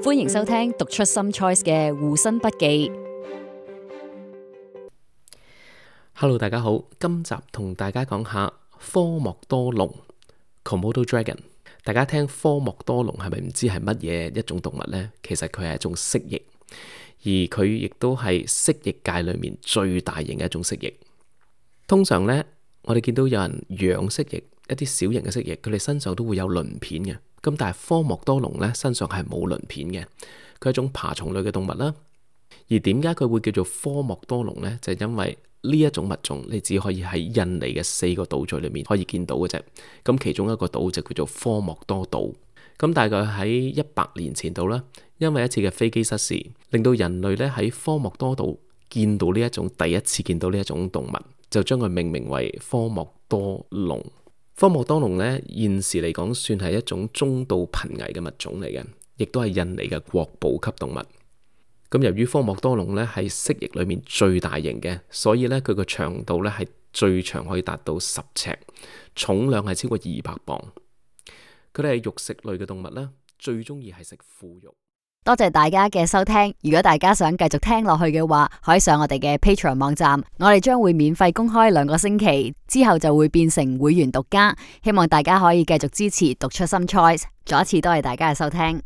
歡迎收聽讀出 Some Choice 嘅護身筆記。Hello， 大家好，今集同大家講下科莫多龍 Komodo Dragon。大家聽科莫多龍係咪唔知係乜嘢一種動物呢？其實佢係一種蜥蜴，而佢亦都係蜥蜴界裏面最大型嘅一種蜥蜴。通常呢，我哋見到有人養蜥蜴，一啲小型嘅蜥蜴，佢哋身上都會有鱗片嘅。咁但係科莫多龍呢，身上係冇鱗片嘅，佢係一種爬蟲類嘅動物啦。而點解佢會叫做科莫多龍呢？就係因為呢一種物種，你只可以喺印尼嘅4個島嶼裏面可以見到嘅啫。咁其中一個島就叫做科莫多島。咁大概喺100年前度啦，因為一次嘅飛機失事，令到人類咧喺科莫多島見到呢一種第一次見到呢一種動物，就將佢命名為科莫多龍。科莫多龍呢，現時嚟講算係一種中度瀕危嘅物種嚟嘅，亦都係印尼嘅國寶級動物。咁由於科莫多龍咧係蜥蜴裏面最大型嘅，所以咧佢個長度咧係最長可以達到10尺，重量係超過200磅。佢哋係肉食類嘅動物啦，最中意係食腐肉。多謝大家嘅收聽。如果大家想繼續聽落去嘅話，可以上我哋嘅 Patreon 網站，我哋將會免費公開2個星期，之後就會變成會員獨家。希望大家可以繼續支持讀出 Some Choice。再一次多謝大家嘅收聽。